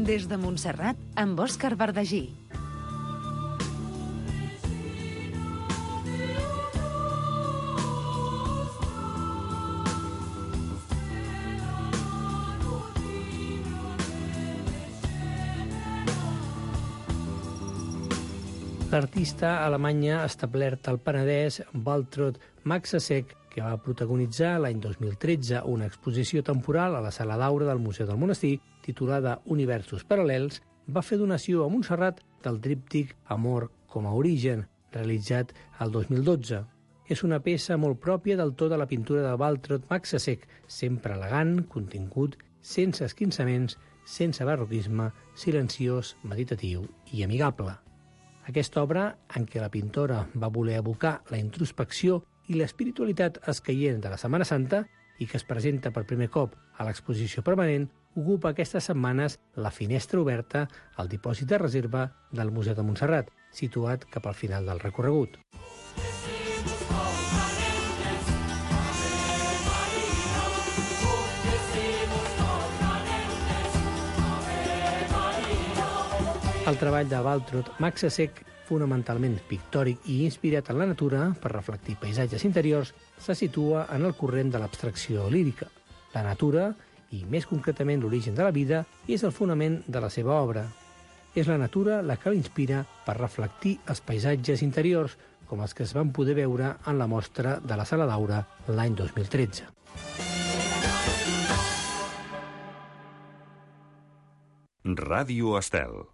Des de Montserrat, amb Òscar Verdagí. L'artista alemanya establert al Penedès, Waltraud Maxasek, que va protagonitzar l'any 2013 una exposició temporal a la Sala d'Aura del Museu del Monestir, titulada Universos Paral·lels, va fer donació a Montserrat del tríptic Amor com a origen, realitzat el 2012. És una peça molt pròpia del to de la pintura de Waltraud Maxasek, sempre elegant, contingut, sense esquinçaments, sense barroquisme, silenciós, meditatiu i amigable. Aquesta obra, en què la pintora va voler evocar la introspecció i l'espiritualitat escaient de la Setmana Santa i que es presenta per primer cop a l'exposició permanent, ocupa aquestes setmanes la finestra oberta al dipòsit de reserva del Museu de Montserrat, situat cap al final del recorregut. El treball de Waltraud Maxasek, fonamentalment pictòric i inspirat en la natura per reflectir paisatges interiors, se situa en el corrent de l'abstracció lírica. La natura, i més concretament l'origen de la vida, és el fonament de la seva obra. És la natura la que l'inspira per reflectir els paisatges interiors, com els que es van poder veure en la mostra de la Sala d'Aura l'any 2013. Ràdio Estel.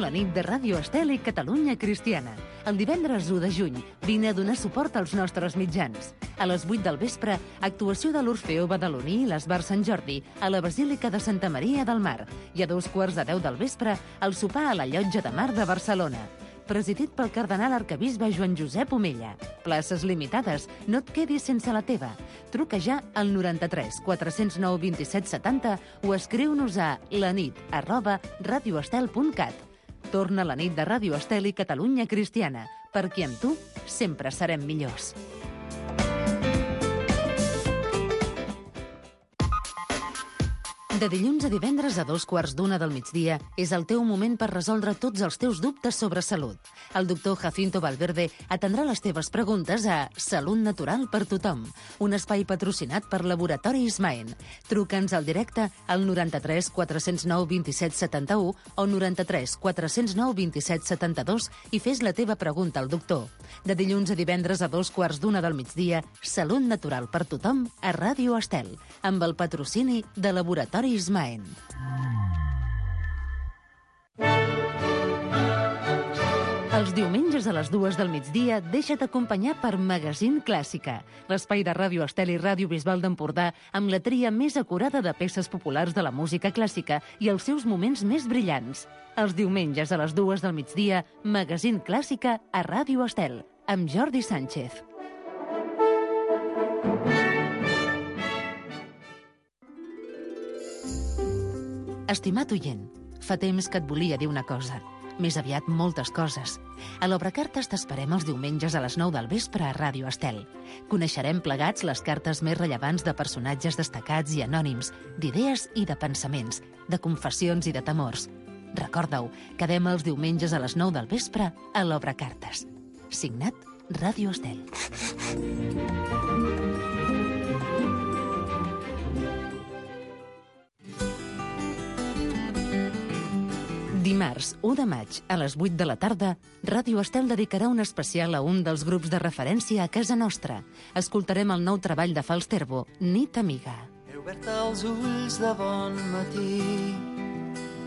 La nit de Ràdio Estel i Catalunya Cristiana. El divendres 1 de juny vine a donar suport als nostres mitjans. A les 8 del vespre, actuació de l'Orfeó Badaloní i l'Esbar Sant Jordi a la Basílica de Santa Maria del Mar. I a 2:15 del vespre, el sopar a la Llotja de Mar de Barcelona. Presidit pel cardenal arquebisbe Joan Josep Omella. Places limitades, no et quedis sense la teva. Truca ja al 93 409 27 70 o escriu-nos a lanit@radioestel.cat. Torna la nit de Ràdio Estel i Catalunya Cristiana, perquè amb tu sempre serem millors. De dilluns a divendres a 2:15 del migdia és el teu moment per resoldre tots els teus dubtes sobre salut. El doctor Jacinto Valverde atendrà les teves preguntes a Salut Natural per Tothom, un espai patrocinat per Laboratori Ismaen. Truca'ns al directe al 93 409 27 71 o 93 409 27 72 i fes la teva pregunta al doctor. De dilluns a divendres a 2:15 del migdia, Salut Natural per Tothom a Ràdio Estel, amb el patrocini de Laboratori Ismaen. Els diumenges a les 2 del migdia deixa't acompanyar per Magazín Clàssica, l'espai de Ràdio Estel i Ràdio Bisbal d'Empordà amb la tria més acurada de peces populars de la música clàssica i els seus moments més brillants. Els diumenges a les 2 del migdia, Magazín Clàssica a Ràdio Estel, amb Jordi Sánchez. Estimat oient, fa temps que et volia dir una cosa. Més aviat moltes coses. A l'Obrecartes t'esperem els diumenges a les 9 del vespre a Ràdio Estel. Coneixerem plegats les cartes més rellevants de personatges destacats i anònims, d'idees i de pensaments, de confessions i de temors. Recorda-ho, quedem els diumenges a les 9 del vespre a l'Obrecartes. Signat Ràdio Estel. Dimarts 1 de maig a les 8 de la tarda, Ràdio Estel dedicarà un especial a un dels grups de referència a casa nostra. Escoltarem el nou treball de Falsterbo, Nit Amiga. He obert els ulls de bon matí.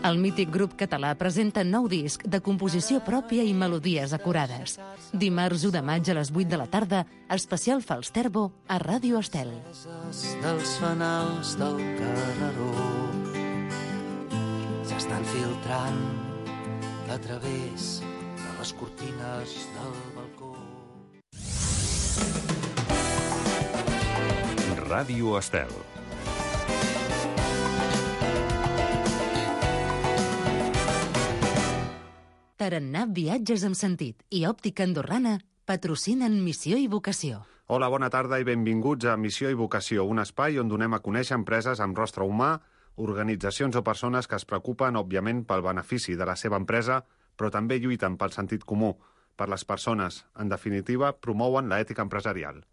El mític grup català presenta nou disc de composició pròpia i melodies acurades. Dimarts 1 de maig a les 8 de la tarda, especial Falsterbo a Ràdio Estel. Dels fanals del carreró s'estan filtrant a través de les cortines del balcó. Ràdio Estel. Tarannà Viatges amb Sentit i Òptica Andorrana patrocinen Missió i Vocació. Hola, bona tarda i benvinguts a Missió i Vocació, un espai on donem a conèixer empreses amb rostre humà, Organitzacions o persones que es preocupen, òbviament, pel benefici de la seva empresa, però també lluiten pel sentit comú, per les persones. En definitiva, promouen l'ètica empresarial.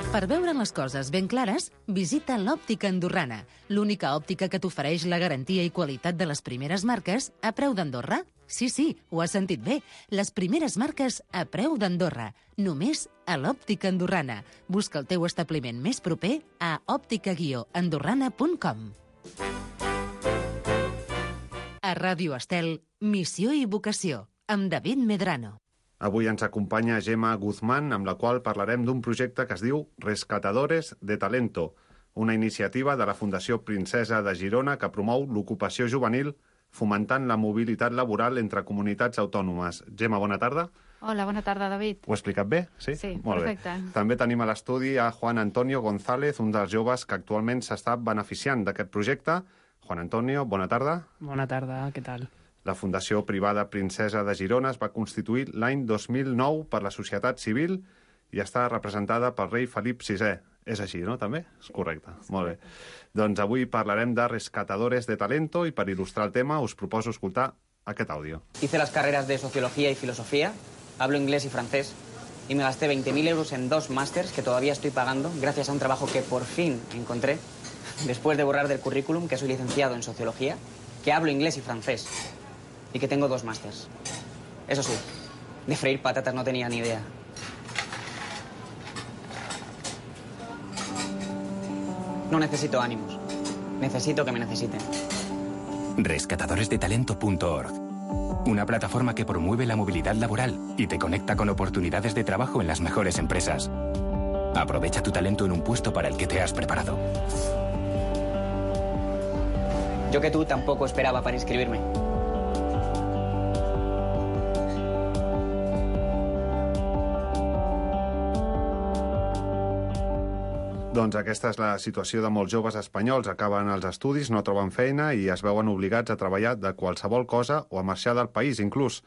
Per veure les coses ben clares, visita l'Òptica Andorrana, l'única òptica que t'ofereix la garantia i qualitat de les primeres marques a preu d'Andorra. Sí, ho has sentit bé. Les primeres marques a preu d'Andorra. Només a l'Òptica Andorrana. Busca el teu establiment més proper a òptica-andorrana.com. A Ràdio Estel, Missió i Vocació, amb David Medrano. Avui ens acompanya Gemma Guzmán, amb la qual parlarem d'un projecte que es diu Rescatadores de Talento, una iniciativa de la Fundació Princesa de Girona que promou l'ocupació juvenil fomentant la mobilitat laboral entre comunitats autònomes. Gemma, bona tarda. Hola, bona tarda, David. Ho he explicat bé? Sí, molt perfecte. Bé. També tenim a l'estudi a Juan Antonio González, un dels joves que actualment s'està beneficiant d'aquest projecte. Juan Antonio, bona tarda. Bona tarda, què tal? La Fundació Privada Princesa de Girona es va constituir l'any 2009 per la societat civil i està representada pel rei Felip VI. És així, no, també? És correcte. Molt bé. Doncs avui parlarem de Rescatadores de Talento i per il·lustrar el tema us proposo escoltar aquest àudio. Hice las carreras de Sociología y Filosofía, hablo inglés y francés y me gasté 20.000 euros en 2 másters que todavía estoy pagando gracias a un trabajo que por fin encontré después de borrar del currículum que soy licenciado en Sociología, que hablo inglés y francés y que tengo 2 másters. Eso sí, de freír patatas no tenía ni idea. No necesito ánimos. Necesito que me necesiten. Rescatadoresdetalento.org. Una plataforma que promueve la movilidad laboral y te conecta con oportunidades de trabajo en las mejores empresas. Aprovecha tu talento en un puesto para el que te has preparado. Yo que tú tampoco esperaba para inscribirme. Doncs aquesta és la situació de molts joves espanyols. Acaben els estudis, no troben feina i es veuen obligats a treballar de qualsevol cosa o a marxar del país, inclús.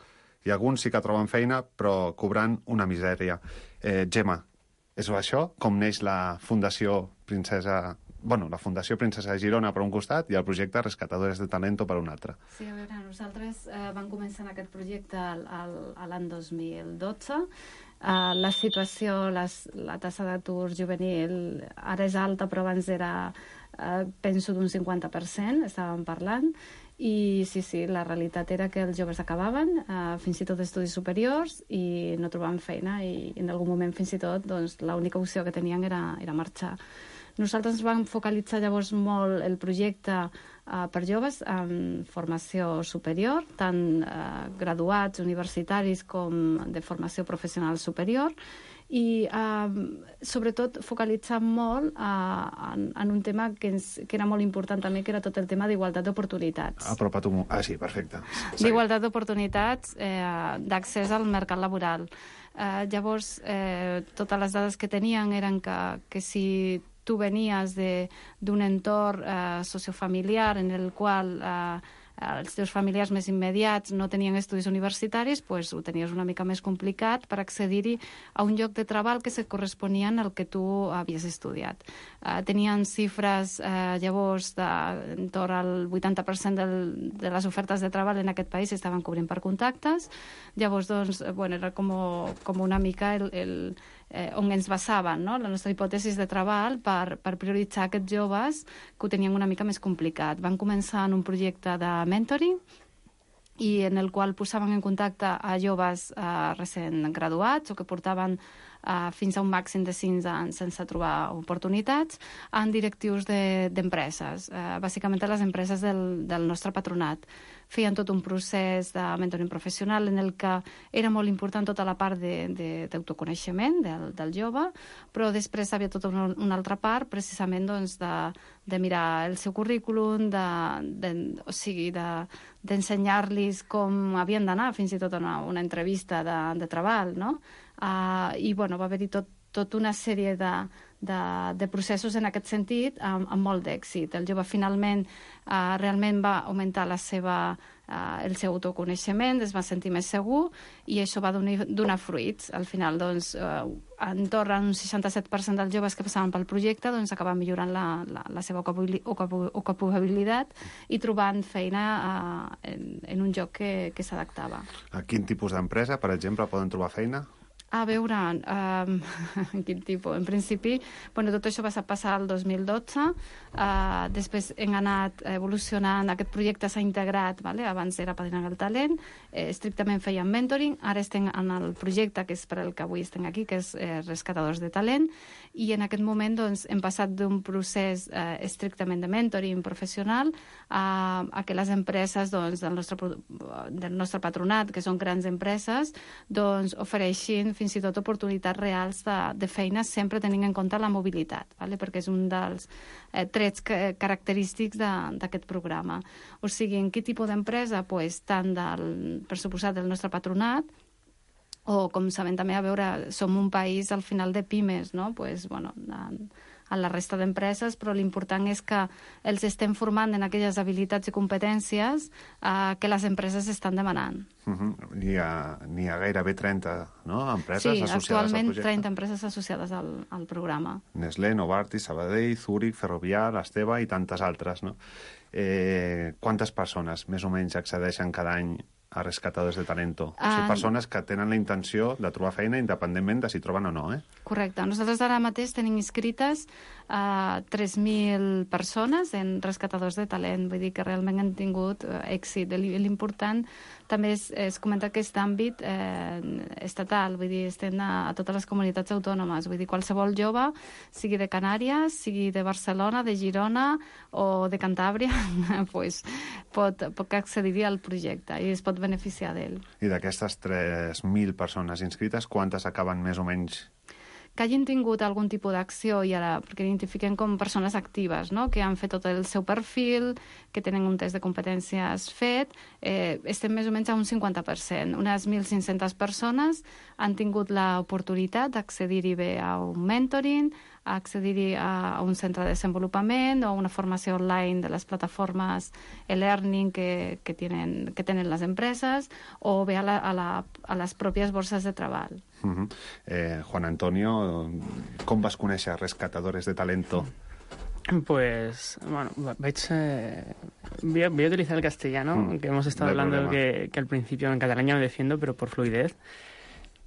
I alguns sí que troben feina, però cobrant una misèria. Gemma, és això com neix la Fundació Princesa... Bueno, la Fundació Princesa de Girona per un costat i el projecte Rescatadores de Talento per un altre. Sí, a veure, nosaltres vam començar en aquest projecte l'any 2012. La situació, la taxa d'atur juvenil ara és alta, però abans era, penso, d'un 50%, estàvem parlant, i sí, la realitat era que els joves acabaven, fins i tot estudis superiors, i no trobaven feina, i en algun moment fins i tot doncs, l'única opció que tenien era marxar. Nosaltres vam focalitzar llavors molt el projecte per joves en formació superior, tant graduats, universitaris com de formació professional superior, i sobretot focalitzar molt en un tema que era molt important també, que era tot el tema d'igualtat d'oportunitats. Apropa't un... sí, perfecte. D'igualtat d'oportunitats, d'accés al mercat laboral. Llavors, totes les dades que tenien eren que si tu venies d'un entorn sociofamiliar en el qual els teus familiars més immediats no tenien estudis universitaris, doncs ho tenies una mica més complicat per accedir-hi a un lloc de treball que se corresponien al que tu havies estudiat. Tenien xifres llavors d'entorn al 80% de les ofertes de treball en aquest país estaven cobrint per contactes. Llavors, doncs, era com una mica on ens basaven, no? La nostra hipòtesi de treball per prioritzar aquests joves que ho tenien una mica més complicat. Van començar en un projecte de mentoring i en el qual posaven en contacte a joves recent graduats o que portaven fins a un màxim de 5 anys sense trobar oportunitats en directius d'empreses, bàsicament les empreses del nostre patronat. Feien tot un procés de mentoring professional en el que era molt important tota la part d'autoconeixement del jove, però després hi havia tota una altra part precisament doncs, de mirar el seu currículum, o sigui, d'ensenyar-los com havien d'anar fins i tot a una entrevista de treball, no? I va haver-hi tota una sèrie de processos en aquest sentit amb molt d'èxit. El jove finalment realment va augmentar el seu autoconeixement, es va sentir més segur i això va donar fruits. Al final, doncs, entorn un 67% dels joves que passaven pel projecte doncs, acabaven millorant la seva ocupabilitat i trobant feina en un lloc que s'adaptava. A quin tipus d'empresa, per exemple, poden trobar feina? A veure, quin tipus? En principi, tot això va passar el 2012, després hem anat evolucionant, aquest projecte s'ha integrat, abans era Padrinant el Talent, estrictament feien mentoring, ara estem en el projecte que és per al que avui estem aquí, que és Rescatadors de Talent, i en aquest moment hem passat d'un procés estrictament de mentoring professional a que les empreses del nostre patronat, que són grans empreses, ofereixin fins i tot oportunitats reals de feina, sempre tenint en compte la mobilitat, perquè és un dels trets característics d'aquest programa. O sigui, en quin tipus d'empresa? Tant per suposat del nostre patronat, o com sabem també, a veure, som un país al final de pimes, no? A la resta d'empreses, però l'important és que els estem formant en aquelles habilitats i competències que les empreses estan demanant. N'hi ha gairebé 30 empreses associades al projecte. Sí, actualment 30 empreses associades al programa. Nestlé, Novartis, Sabadell, Zurich, Ferrovial, Esteve i tantes altres, no? Quantes persones més o menys accedeixen cada any a Rescatadors de Talento? O sigui, persones que tenen la intenció de trobar feina independentment de si troben o no, Correcte. Nosaltres ara mateix tenim inscrites 3.000 persones en Rescatadors de Talent. Vull dir que realment han tingut èxit. L'important també és comentar aquest àmbit estatal. Vull dir, estem a totes les comunitats autònomes. Vull dir, qualsevol jove, sigui de Canàries, sigui de Barcelona, de Girona o de Cantàbria, pot accedir al projecte i es pot beneficiar d'ell. I d'aquestes 3.000 persones inscrites, quantes acaben més o menys? Que hagin tingut algun tipus d'acció, i ara, perquè identifiquem com persones actives, no? Que han fet tot el seu perfil, que tenen un test de competències fet, estem més o menys a un 50%. Unes 1.500 persones han tingut l'oportunitat d'accedir-hi bé a un mentoring, a accedir-hi a un centre de desenvolupament o una formació online de les plataformes e-learning que tenen les empreses, o bé a les pròpies borses de treball. Juan Antonio, com vas conèixer Rescatadores de Talento? Pues, voy a utilizar el castellano, que hemos estado hablando que al principio en catalán ya me defiendo, pero por fluidez.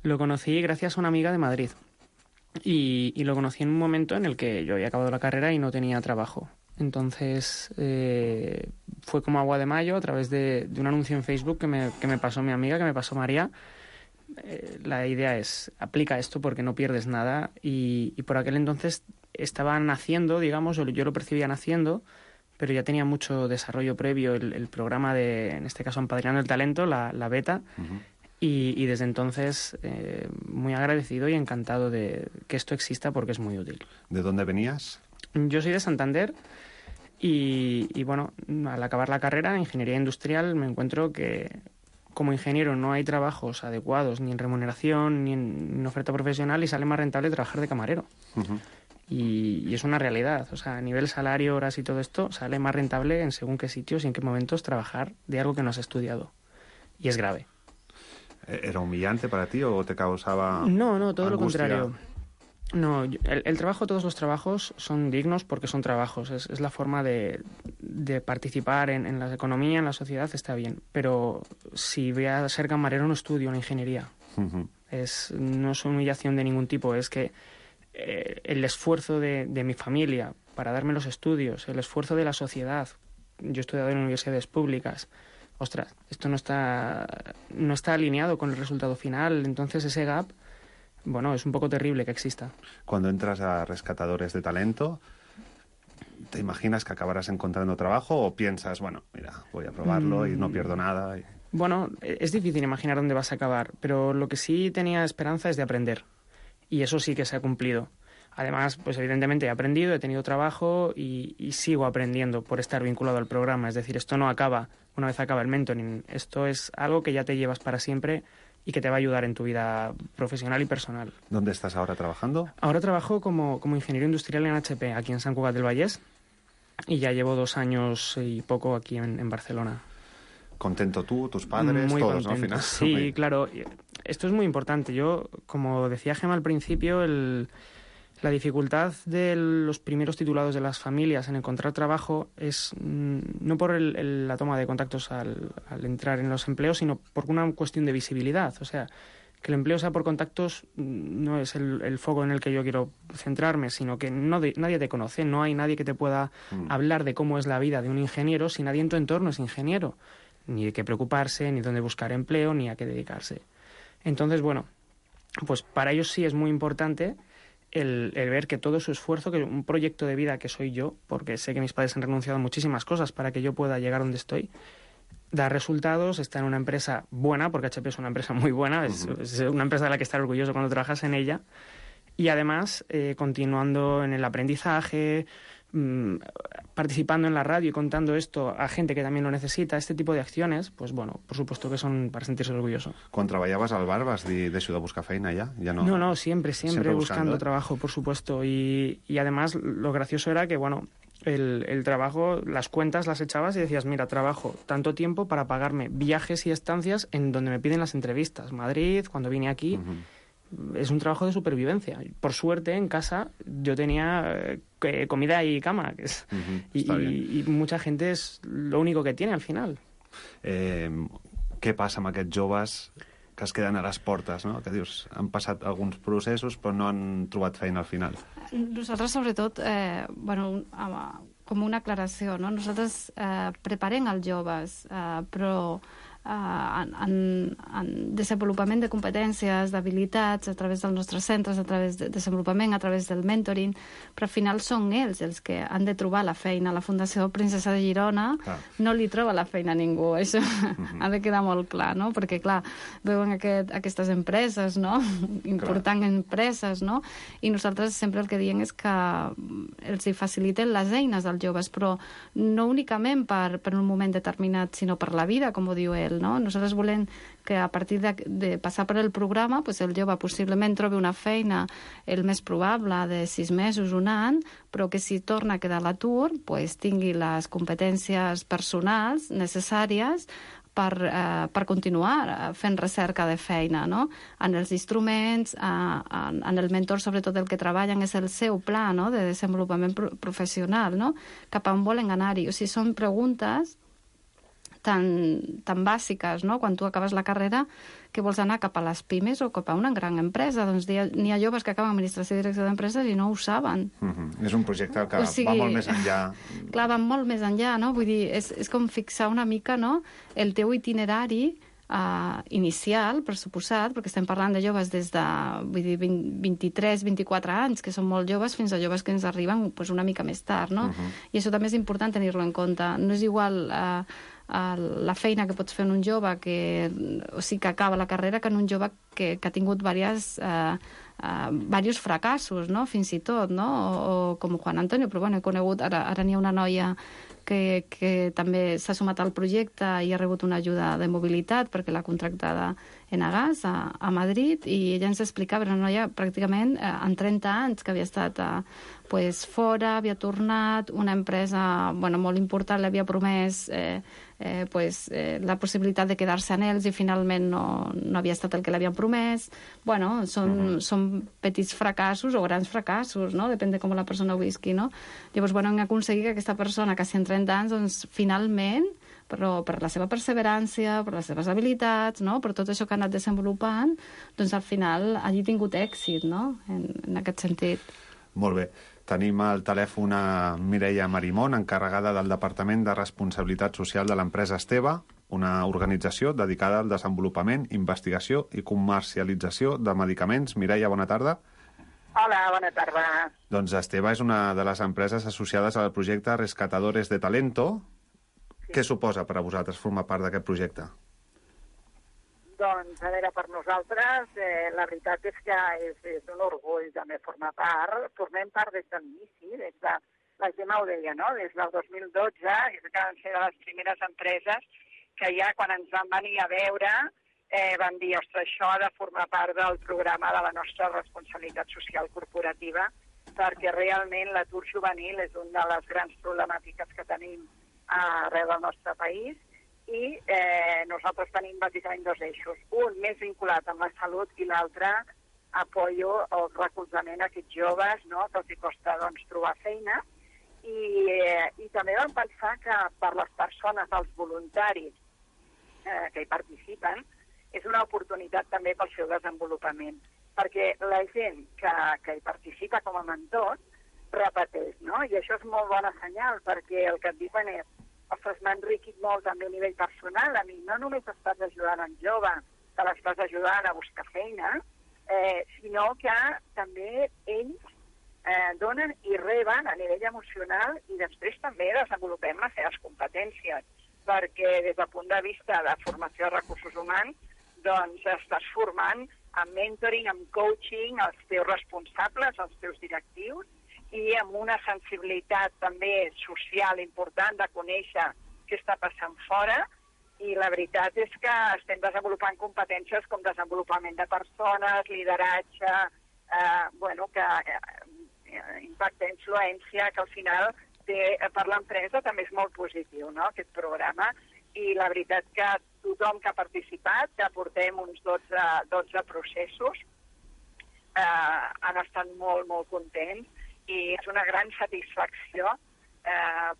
Lo conocí gracias a una amiga de Madrid. Y lo conocí en un momento en el que yo había acabado la carrera y no tenía trabajo. Entonces fue como agua de mayo a través de un anuncio en Facebook que me pasó mi amiga, que me pasó María. La idea es, aplica esto porque no pierdes nada, y por aquel entonces estaba naciendo, digamos, yo lo percibía naciendo, pero ya tenía mucho desarrollo previo el programa en este caso Empadrinando el Talento, la beta. Y desde entonces muy agradecido y encantado de que esto exista porque es muy útil. ¿De dónde venías? Yo soy de Santander y bueno, al acabar la carrera en Ingeniería Industrial me encuentro que como ingeniero no hay trabajos adecuados ni en remuneración ni en oferta profesional, y sale más rentable trabajar de camarero. Y es una realidad, o sea, a nivel salario, horas y todo esto, sale más rentable en según qué sitios y en qué momentos trabajar de algo que no has estudiado. Y es grave. ¿Era humillante para ti o te causaba No, todo angustia? Lo contrario. No, el trabajo, todos los trabajos son dignos porque son trabajos. Es la forma de participar en la economía, en la sociedad, está bien. Pero si voy a ser camarero no estudio una ingeniería. No es humillación de ningún tipo, es que el esfuerzo de mi familia para darme los estudios, el esfuerzo de la sociedad. Yo he estudiado en universidades públicas. Ostras, esto no está alineado con el resultado final, entonces ese gap, bueno, es un poco terrible que exista. Cuando entras a Rescatadores de Talento, ¿te imaginas que acabarás encontrando trabajo o piensas, bueno, mira, voy a probarlo y no pierdo nada? Bueno, es difícil imaginar dónde vas a acabar, pero lo que sí tenía esperanza es de aprender, y eso sí que se ha cumplido. Además, pues evidentemente he aprendido, he tenido trabajo y sigo aprendiendo por estar vinculado al programa. Es decir, esto no acaba una vez acaba el mentoring. Esto es algo que ya te llevas para siempre y que te va a ayudar en tu vida profesional y personal. ¿Dónde estás ahora trabajando? Ahora trabajo como ingeniero industrial en HP, aquí en Sant Cugat del Vallès, y ya llevo 2 años y poco aquí en Barcelona. ¿Contento tú, tus padres, muy todos, contento. ¿no? Al final. Sí, claro. Esto es muy importante. Yo, como decía Gemma al principio, la dificultad de los primeros titulados de las familias en encontrar trabajo es no por la toma de contactos al entrar en los empleos, sino por una cuestión de visibilidad. O sea, que el empleo sea por contactos no es el foco en el que yo quiero centrarme, sino que nadie te conoce, no hay nadie que te pueda hablar de cómo es la vida de un ingeniero si nadie en tu entorno es ingeniero. Ni de qué preocuparse, ni dónde buscar empleo, ni a qué dedicarse. Entonces, bueno, pues para ellos sí es muy importante el ver que todo su esfuerzo, que un proyecto de vida que soy yo, porque sé que mis padres han renunciado a muchísimas cosas para que yo pueda llegar donde estoy, da resultados, está en una empresa buena, porque HP es una empresa muy buena, es una empresa de la que estar orgulloso cuando trabajas en ella, y además continuando en el aprendizaje, participando en la radio y contando esto a gente que también lo necesita, este tipo de acciones, pues bueno, por supuesto que son para sentirse orgulloso. Quan treballaves al bar vas deixar de buscar feina ja? No, siempre buscando trabajo, por supuesto, y además lo gracioso era que, bueno, el trabajo, las cuentas las echabas y decías, mira, trabajo tanto tiempo para pagarme viajes y estancias en donde me piden las entrevistas, Madrid, cuando vine aquí. Es un trabajo de supervivencia. Por suerte, en casa yo tenía comida y cama, y mucha gente es lo único que tiene al final. Què passa amb aquests joves que es queden a les portes, no? Que dius, han passat alguns processos però no han trobat feina al final? Nosaltres, sobretot, com una aclaració, no? Nosaltres preparem els joves, però en desenvolupament de competències, d'habilitats, a través dels nostres centres, a través de desenvolupament, a través del mentoring, però al final són ells els que han de trobar la feina. La Fundació Princesa de Girona no li troba la feina a ningú, això ha de quedar molt clar, no? Perquè, clar, veuen aquestes empreses, no? Importants empreses, no? I nosaltres sempre el que diem és que els hi faciliten les eines als joves, però no únicament per un moment determinat, sinó per la vida, com ho diu ell, no? Nosaltres volem que a partir de passar per el programa, pues el jove possiblement trobi una feina el més probable de 6 mesos, un any, però que si torna a quedar a l'atur, pues tingui les competències personals necessàries per continuar fent recerca de feina, no? En els instruments, en el mentor, sobretot el que treballen és el seu pla, no? De desenvolupament professional, no? Cap a on volen anar-hi. O sigui, són preguntes tan bàsiques, no? Quan tu acabes la carrera, que vols anar cap a les pimes o cap a una gran empresa. Doncs n'hi ha joves que acaben administració i direcció d'empreses i no ho saben. És un projecte que va molt més enllà. Clar, va molt més enllà, no? Vull dir, és com fixar una mica, no?, el teu itinerari inicial, per suposat, perquè estem parlant de joves des de 23-24 anys, que són molt joves, fins a joves que ens arriben una mica més tard, no? I això també és important tenir-lo en compte. No és igual la feina que pots fer en un jove que acaba la carrera que en un jove que ha tingut diversos fracassos, no? Fins i tot, no? O com Juan Antonio, però bueno, he conegut, ara n'hi ha una noia que també s'ha sumat al projecte i ha rebut una ajuda de mobilitat perquè l'ha contractada Enagas a Madrid, i ella ens explicava, era una noia pràcticament en 30 anys que havia estat fora, havia tornat, una empresa molt important li havia promès la possibilitat de quedar-se en ells i finalment no havia estat el que l'havien promès. Bueno, són petits fracassos o grans fracassos, no? Depèn de com la persona ho visqui, no? Llavors, hem aconseguit que aquesta persona, quasi en 30 anys, doncs, finalment, però per la seva perseverància, per les seves habilitats, no? Per tot això que ha anat desenvolupant, doncs al final hagi tingut èxit, no? En aquest sentit. Molt bé. Tenim al telèfon a Mireia Marimón, encarregada del Departament de Responsabilitat Social de l'empresa Esteve, una organització dedicada al desenvolupament, investigació i comercialització de medicaments. Mireia, bona tarda. Hola, bona tarda. Doncs Esteve és una de les empreses associades al projecte Rescatadores de Talento. Sí. Què suposa per a vosaltres formar part d'aquest projecte? Doncs, a veure, per nosaltres, la veritat és que és un orgull també formar part. Formem part des de l'inici, la Gemma ho deia, no? Des del 2012, és que van ser de les primeres empreses que ja quan ens van venir a veure vam dir, ostres, això ha de formar part del programa de la nostra responsabilitat social corporativa, perquè realment l'atur juvenil és una de les grans problemàtiques que tenim arreu del nostre país i nosaltres tenim bàsicament dos eixos. Un més vinculat amb la salut i l'altre apoyo o recolzament a aquests joves, no?, que els costa trobar feina. I també vam pensar que per les persones, els voluntaris que hi participen, és una oportunitat també pel seu desenvolupament, perquè la gent que hi participa com a mentor repeteix, no? I això és molt bona senyal, perquè el que et diuen és, ostres, m'ha enriquit molt també a nivell personal, a mi no només estàs ajudant en jove, que l'estàs ajudant a buscar feina, sinó que també ells donen i reben a nivell emocional i després també desenvolupem les seves competències, perquè des del punt de vista de formació de recursos humans, doncs estàs formant amb mentoring, amb coaching, els teus responsables, els teus directius, i amb una sensibilitat també social important de conèixer què està passant fora, i la veritat és que estem desenvolupant competències com desenvolupament de persones, lideratge, impacte, influència, que al final per l'empresa també és molt positiu, no?, aquest programa. I la veritat que tothom que ha participat, que portem uns 12 processos, han estat molt, molt contents i és una gran satisfacció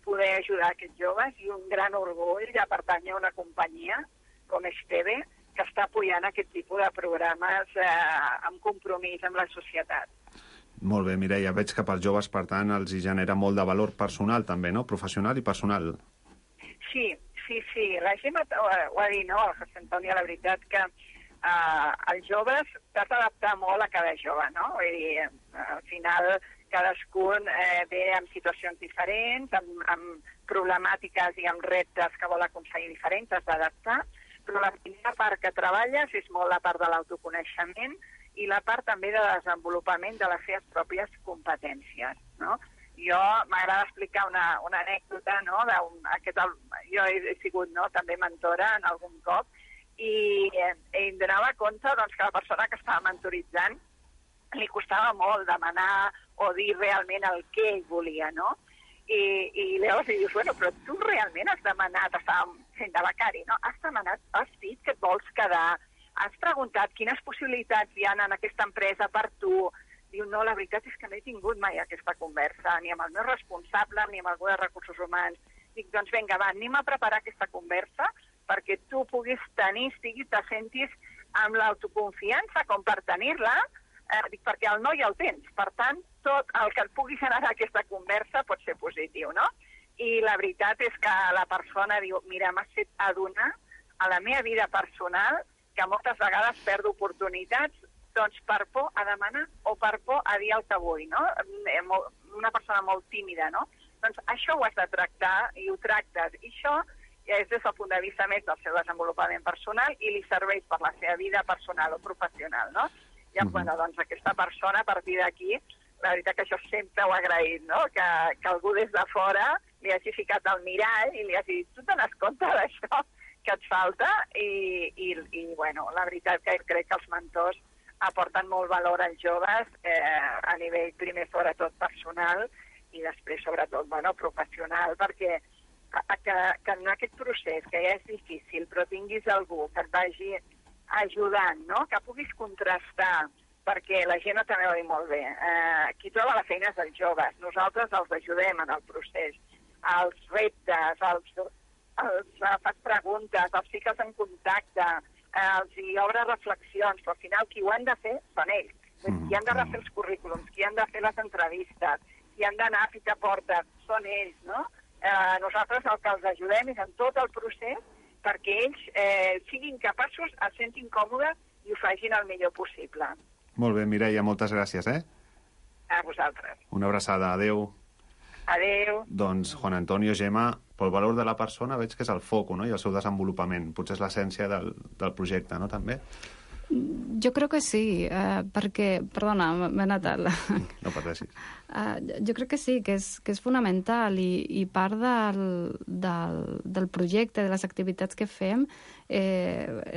poder ajudar aquests joves i un gran orgull de pertànyer a una companyia com Esteve que està apoyant aquest tipus de programes amb compromís amb la societat. Molt bé, Mireia, veig que pels joves, per tant, els hi genera molt de valor personal també, no? Professional i personal. Sí. La Gemma ho ha dit, no? El José Antonio, la veritat que els joves t'has d'adaptar molt a cada jove, no? Vull dir, al final cadascun ve amb situacions diferents, amb problemàtiques i amb reptes que vol aconseguir diferents, t'has d'adaptar, però la primera part que treballes és molt la part de l'autoconeixement i la part també de desenvolupament de les seves pròpies competències, no? Jo m'agrada explicar una anècdota, no? Jo he sigut també mentora en algun cop i em donava compte que la persona que estava mentoritzant li costava molt demanar o dir realment el que ell volia, no? I llavors dius, però tu realment has demanat, estàvem fent de becari, no? Has dit que et vols quedar, has preguntat quines possibilitats hi ha en aquesta empresa per tu. Diu, no, la veritat és que no he tingut mai aquesta conversa, ni amb el meu responsable, ni amb algú de recursos humans. Dic, doncs vinga, va, anem a preparar aquesta conversa perquè tu puguis tenir, te sentis amb l'autoconfiança com per tenir-la, perquè el no ja el tens. Per tant, tot el que et pugui generar aquesta conversa pot ser positiu, no? I la veritat és que la persona diu, mira, m'has fet adonar a la meva vida personal que moltes vegades perdo oportunitats doncs per por a demanar o per por a dir el que vull, no? Una persona molt tímida, no? Doncs això ho has de tractar i ho tractes. I això és des del punt de vista més del seu desenvolupament personal i li serveix per la seva vida personal o professional, no? I doncs aquesta persona, a partir d'aquí, la veritat que això sempre ho he agraït, no? Que algú des de fora li hagi ficat al mirall i li hagi dit, tu te n'has compte d'això que et falta? I la veritat que crec que els mentors aporten molt valor als joves a nivell primer sobretot personal i després sobretot professional, perquè que en aquest procés que ja és difícil però tinguis algú que et vagi ajudant, no? Que puguis contrastar, perquè la gent també ho ha dit molt bé, qui troba la feina és els joves, nosaltres els ajudem en el procés, els reptes, els fas preguntes, els fiques en contacte, els hi obre reflexions, però al final qui ho han de fer són ells. Qui han de refer els currículums, qui han de fer les entrevistes, qui han d'anar a picar portes, són ells, no? Nosaltres el que els ajudem és en tot el procés perquè ells siguin capaços, es sentin còmodes i ho facin el millor possible. Molt bé, Mireia, moltes gràcies, A vosaltres. Una abraçada, adeu. Adeu. Doncs, Juan Antonio, Gemma, pel valor de la persona veig que és el foc, no? I el seu desenvolupament. Potser és l'essència del projecte, no? També. Jo crec que sí, perquè... Perdona, m'he anat a la... No pateixis. Jo crec que sí, que és fonamental i part del projecte, de les activitats que fem,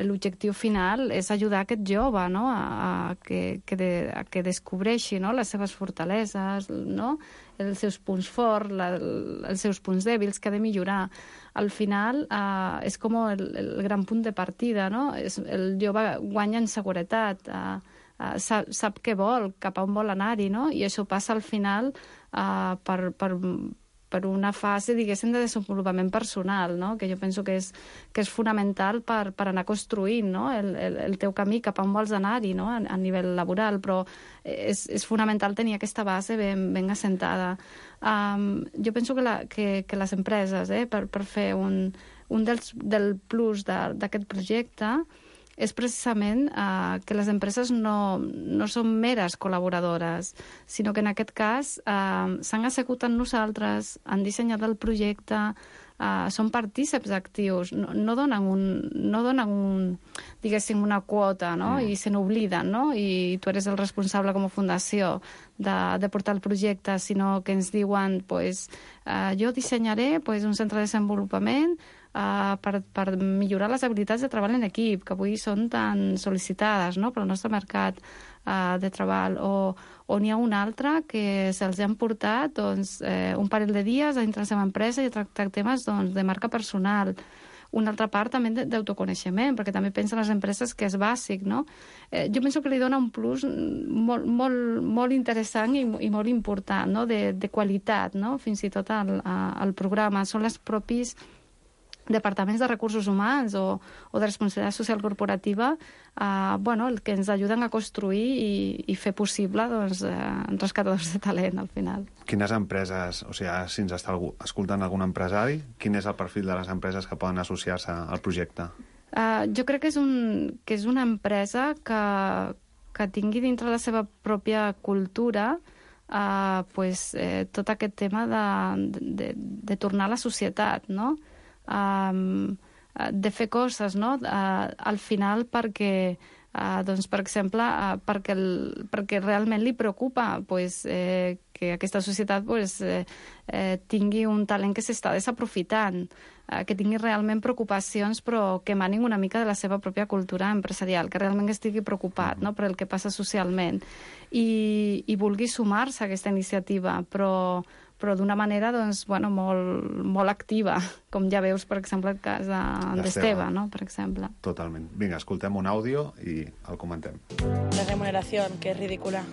l'objectiu final és ajudar aquest jove, no? a que descobreixi, no? Les seves fortaleses, no? Els seus punts forts, els seus punts dèbils que ha de millorar. Al final és com el gran punt de partida, no? El jove guanya en seguretat, sap què vol, cap a on vol anar-hi, no? I això passa al final per una fase, diguéssim, de desenvolupament personal, no? Que jo penso que és fonamental per anar construint, no? el teu camí cap a on vols anar-hi, no? A nivell laboral, però és fonamental tenir aquesta base ben assentada. Jo penso que les empreses, per fer un del plus d'aquest projecte, és precisament que les empreses no són meres col·laboradores, sinó que en aquest cas s'han assegut amb nosaltres, han dissenyat el projecte, són partíceps actius, no donen diguéssim, una quota, no? I se n'obliden, no? I tu eres el responsable com a fundació de portar el projecte, sinó que ens diuen jo dissenyaré un centre de desenvolupament per millorar les habilitats de treball en equip, que avui són tan sol·licitades, no? Pel nostre mercat de treball, o n'hi ha una altra que se'ls han portat un parell de dies a dintre la seva empresa i a tractar temes de marca personal. Una altra part també d'autoconeixement, perquè també pensen les empreses que és bàsic, no? Jo penso que li dona un plus molt interessant i molt important, no? De qualitat, no? Fins i tot al programa. Són les propis departaments de recursos humans o de responsabilitat social corporativa el que ens ajuden a construir i fer possible rescatadors de talent al final. Quines empreses, o sigui, si ens està escoltant algun empresari, quin és el perfil de les empreses que poden associar-se al projecte? Jo crec que és una empresa que tingui dintre la seva pròpia cultura tot aquest tema de tornar a la societat, no? De fer coses, no? Al final perquè per exemple, perquè realment li preocupa que aquesta societat tingui un talent que s'està desaprofitant, que tingui realment preocupacions però que emanin una mica de la seva pròpia cultura empresarial, que realment estigui preocupat, no? Per el que passa socialment i vulgui sumar-se a aquesta iniciativa, però d'una manera molt activa, com ja veus, per exemple, el cas d'Esteve, no? Per exemple. Totalment. Vinga, escoltem un àudio i el comentem. La remuneración, que es ridícula.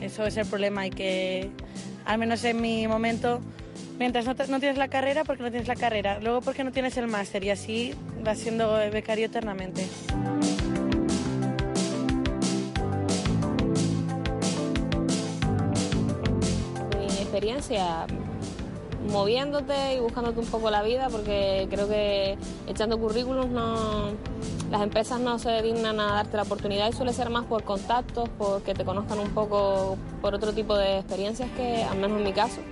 Eso es el problema y que, al menos en mi momento, mientras no tienes la carrera, porque no tienes la carrera, luego porque no tienes el máster y así vas siendo becario eternamente. Experiencia moviéndote y buscándote un poco la vida, porque creo que echando currículums las empresas no se dignan a darte la oportunidad y suele ser más por contactos, porque te conozcan un poco por otro tipo de experiencias, que al menos en mi caso,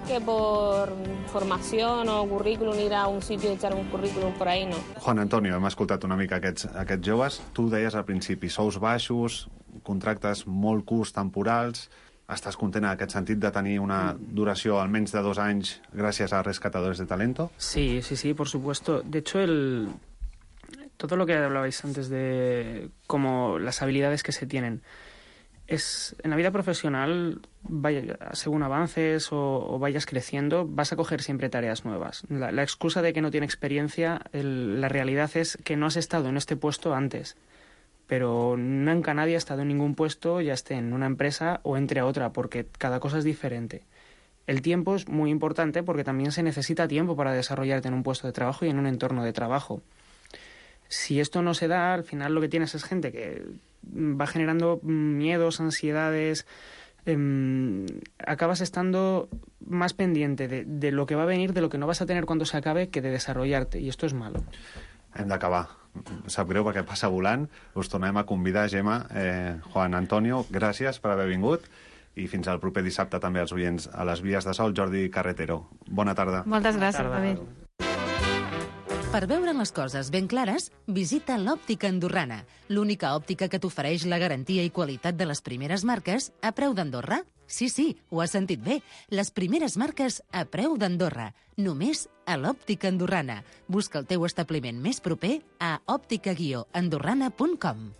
que por formació o currículum, ir a un sitio i echar un currículum por ahí, no. Juan Antonio, hem escoltat una mica aquests joves. Tu deies al principi, sous baixos, contractes molt curts, temporals. Estàs content en aquest sentit de tenir una duració almenys de 2 anys gràcies a Rescatadores de Talento? Sí, por supuesto. De hecho, todo lo que hablabais antes de como las habilidades que se tienen, en la vida profesional, según avances o vayas creciendo, vas a coger siempre tareas nuevas. La excusa de que no tiene experiencia, la realidad es que no has estado en este puesto antes. Pero nunca nadie ha estado en ningún puesto, ya esté en una empresa o entre a otra, porque cada cosa es diferente. El tiempo es muy importante porque también se necesita tiempo para desarrollarte en un puesto de trabajo y en un entorno de trabajo. Si esto no se da, al final lo que tienes es gente que va generando miedos, ansiedades, acabas estando más pendiente de lo que va a venir, de lo que no vas a tener cuando se acabe, que de desarrollarte, y esto es malo. Hem d'acabar. Sap greu perquè passa volant. Us tornem a convidar, Gemma, Juan Antonio, gràcies per haver vingut i fins al proper dissabte també als oients a les Vies de Sol, Jordi Carretero. Bona tarda. Moltes gràcies, David. Per veure les coses ben clares, visita l'Òptica Andorrana, l'única òptica que t'ofereix la garantia i qualitat de les primeres marques a preu d'Andorra. Sí, ho has sentit bé. Les primeres marques a preu d'Andorra. Només a l'Òptica Andorrana. Busca el teu establiment més proper a òptica-andorrana.com.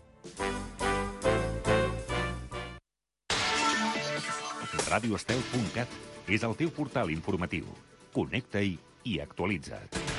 radioestel.cat és el teu portal informatiu. Connecta-hi i actualitza't.